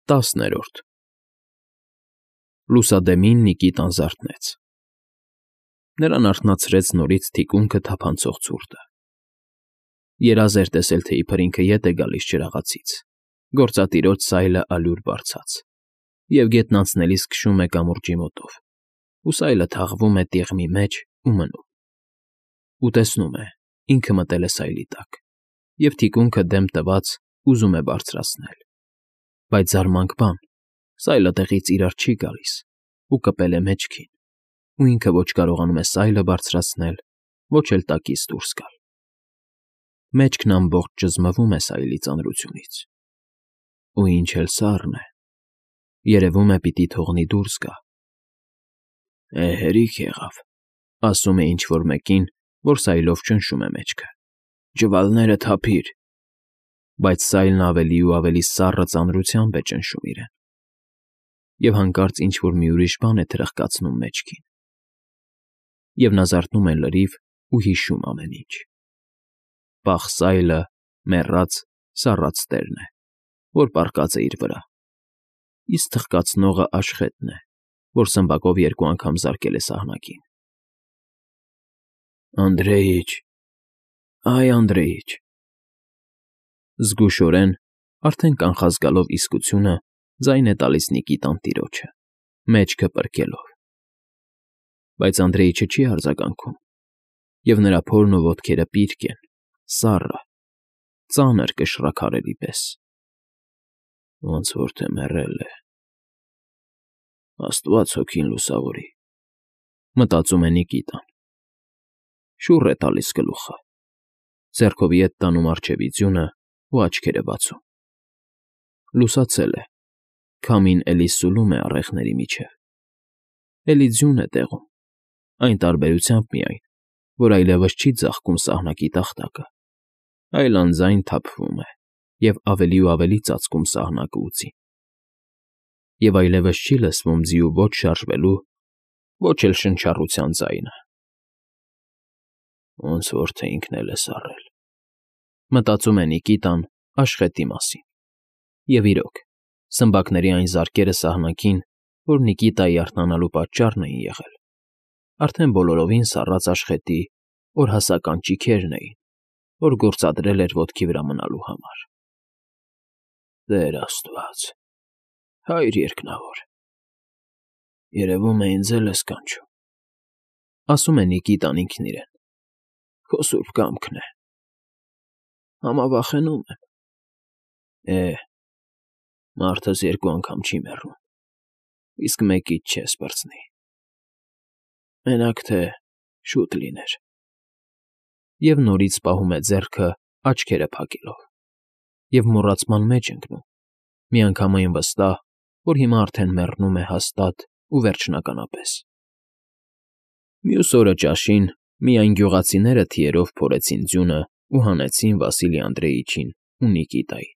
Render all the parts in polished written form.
10-րդ Լուսադեմին Նիկիտան զարթնեց։ Նրան արթնացրեց նորից թիկունքը թափանցող ցուրտը։ Երազ էր տեսել, թե իբր ինքը ետ է գալիս ջրաղացից, գործատիրոջ սայլը ալյուր բարձած, և գետն անցնելիս քշում է կամուրջի մոտով, ու սայլը թաղվում է տիղմի մեջ ու մնում։ Ու տեսնում է, ինքը մտել է սայլի տակ, և թիկունքը դեմ տված ուզում է բարձրացնել, բայց զարմանք բան, սայլը տեղից իրար չի գալիս ու կպել է մեջքին, ու ինքը ոչ կարողանում է սայլը բարձրացնել, ոչ էլ տակից դուրս գալ։ Մեջքն ամբողջ ճզմվում է սայլի ծանրությունից։ Ու ինչ էլ սառն է, երևում է պիտի թողնի դուրս գա։ Հերիք եղավ, ասում է ինչ֊որ մեկին, որ սայլով ճնշում է մեջքը։ Ջվալները թափիր։ Բայց սայլն ավելի ու ավելի սառը ծանրությամբ է ճնշում իրեն։ Եվ հանկարծ ինչ֊որ մի ուրիշ բան է թրխկացնում մեջքին։ Եվ նա զարթնում է լրիվ ու հիշում ամեն ինչ։ Պաղ սայլը, մեռած, սառած տերն է, որ պառկած է իր վրա, իսկ թխկացնողը Աշխետն է, որ սմբակով 2 անգամ զարկել է սահնակին։ Անդրեիչ, այ Անդրեիչ… Զգուշորեն, արդեն կանխազգալով իսկությունը, ձայն է տալիս Նիկիտան տիրոջը, մեջքը պրկելով։ Բայց Անդրեիչը չի արձագանքում, և նրա փորն ու ոտքերը պիրկ են, սառը, ծանր կշռաքարերի պես։ Ոնց որ թե մեռել է… Աստված հոգին լուսավորի, մտածում է Նիկիտան։ Շուռ է տալիս գլուխը, ձեռքով ետ տանում առջևի ձյունը ու աչքերը բացում։ Լուսացել է, քամին էլի սուլում է առեղների միջև։ Էլի ձյուն է տեղում, այն տարբերությամբ միայն, որ այլևս չի ձաղկում սահնակի տախտակը, այլ անձայն թափվում է և ավելի ու ավելի ծածկում սահնակը ու ձին։ Եվ այլևս չի լսվում ձիու ոչ շարժվելու, ոչ էլ շնչառության ձայնը։ Ոնց որ թե ինքն էլ է սառել, մտածում է Նիկիտան Աշխետի մասին։ Եվ իրոք, սմբակների այն զարկերը սահնակին, որ Նիկիտայի արթնանալու պատճառն էին եղել, արդեն բոլորովին սառած Աշխետի օրհասական ճիգերն էին, որ գործադրել էր ոտքի վրա մնալու համար։ Տեր Աստված, Հայր երկնավոր… Երևում է ինձ էլ ես կանչում, ասում է Նիկիտան ինքն իրեն, քո սուրբ կամքն է։ Համավախենում եմ։ Մարդս 2 անգամ չի մեռնում, իսկ մեկից չես պրծնի։ Մենակ թե շուտ լիներ… Եվ նորից պահում է ձեռքը, աչքերը փակելով, և մոռացման մեջ ընկնում, միանգամայն վստահ, որ հիմա արդեն մեռնում է հաստատ ու վերջնականապես։ Մյուս օրը ճաշին միայն գյուղացիները թիերով փորեցին ձյունը ու հանեցին Վասիլի Անդրեիչին ու Նիկիտային,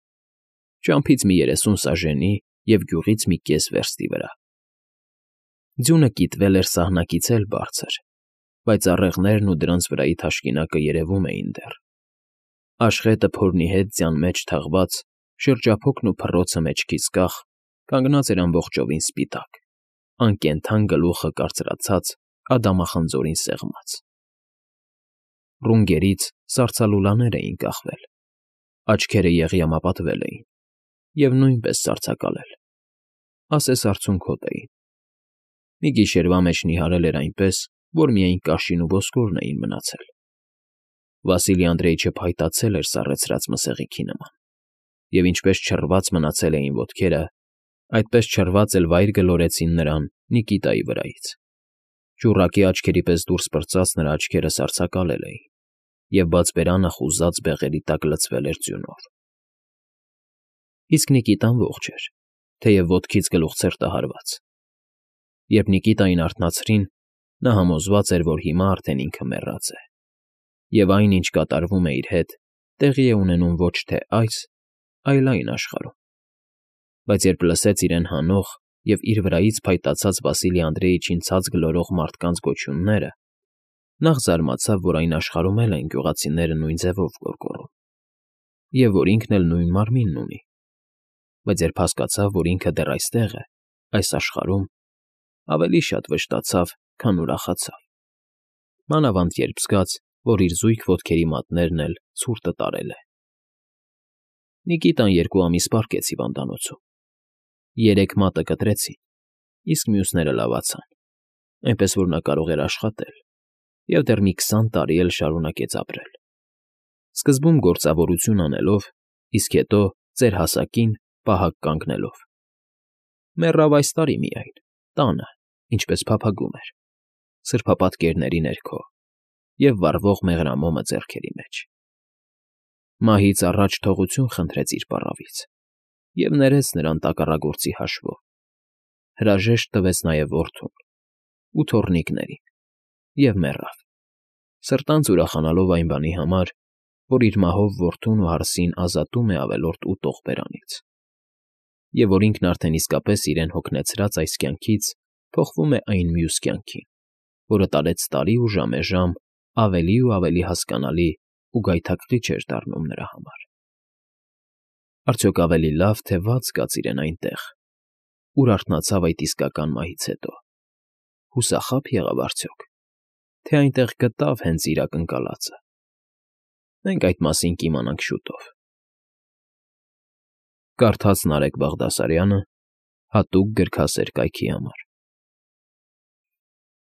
ճամփից մի 30 սաժենի և գյուղից մի կես վերստի վրա։ Ձյունը կիտվել էր սահնակից էլ բարձր, բայց առեղներն ու դրանց վրայի թաշկինակը երևում էին դեռ։ Աշխետը փորնի հետ ձյան մեջ թաղված, շրջափոքն ու փռոցը մեջքից կախ, կանգնած էր ամբողջովին սպիտակ, անկենդան գլուխը կարծրացած, ադամախնձորին սեղմած։ Ռունգերից սառցալուլաներ էին կախվել, աչքերը եղյամապատվել էին և նույնպես սառցակալել, ասես արցունքոտ էին։ Մի գիշերվա մեջ նիհարել էր այնպես, որ միայն կաշին ու ոսկորն էին մնացել։ Վասիլի Անդրեիչը փայտացել էր սառեցրած մսեղիքի նման, և ինչպես չռված մնացել էին ոտքերը, այդպես չռված էլ վայր գլորեցին նրան Նիկիտայի վրայից։ Ճուռակի աչքերի պես դուրս պրծած նրա աչքերը սառցակալել էին, և բաց բերանը խուզած բեղերի տակ լցվել էր ձյունով։ Իսկ Նիկիտան ողջ էր, թեև ոտքից գլուխցրտը հարված։ Երբ Նիկիտային արթնացրին, նա համոզված էր, որ հիմա արդեն ինքը մեռած է, և այն, ինչ կատարվում է իր հետ, տեղի է ունենում ոչ թե այս, այլ այն աշխարհում։ Բայց երբ լսեց իրեն հանող և իր վրայից փայտացած Վասիլի Անդրեիչին ցած գլորող մարդկանց գոչյունները, նախ զարմացավ, որ այն աշխարհում էլ են գյուղացիները նույն ձևով գոռգոռում, և որ ինքն էլ նույն մարմինն ունի։ բայց երբ հասկացավ, որ ինքը դեռ այստեղ է, այս աշխարհում, ավելի շատ վշտացավ, քան ուրախացավ, մանավանդ երբ զգաց, որ իր զույգ ոտքերի մատներն էլ ցուրտը տարել է։ Նիկիտան 2 ամիս պառկեց հիվանդանոցում։ 3 մատը կտրեցին, իսկ մյուսները լավացան, այնպես որ նա կարող էր աշխատել և դեռ մի 20 տարի էլ շարունակեց ապրել։ Սկզբում գործավորություն անելով, իսկ հետո ծեր հասակին պահակ կանգնելով։ Մեռավ այս տարի միայն, տանը, ինչպես փափագում էր, սրբապատկերների ներքո և վառվող մեղրամոմը ձեռքերի մեջ։ Մահից առաջ թողություն խնդրեց իր պառավից և ներեց նրան տակառագործի հաշվով, հրաժեշտ տվեց նաև որդուն ու թոռնիկներին և մեռավ, սրտանց ուրախանալով այն բանի համար, որ իր մահով որդուն ու հարսին ազատում է ավելորդ ուտող բերանից, և որ ինքն արդեն իսկապես իրեն հոգնեցրած այս կյանքից փոխվում է այն մյուս կյանքին, որը տարեց տարի ու ժամեժամ ավելի ու ավելի հասկանալի ու գայթակղիչ էր դառնում նրա համար։ Արդյոք ավելի լավ, թե վատ զգաց իրեն այնտեղ, ուր արթնացավ այդ իսկական մահից հետո, հուսախա՞բ եղավ արդյոք, թե այնտեղ գտավ հենց իր ակնկալածը։ Մենք այդ մասին կիմանանք շուտով։ Կարդաց Նարեկ Բաղդասարյանը հատուկ գրքասեր կայքի համար։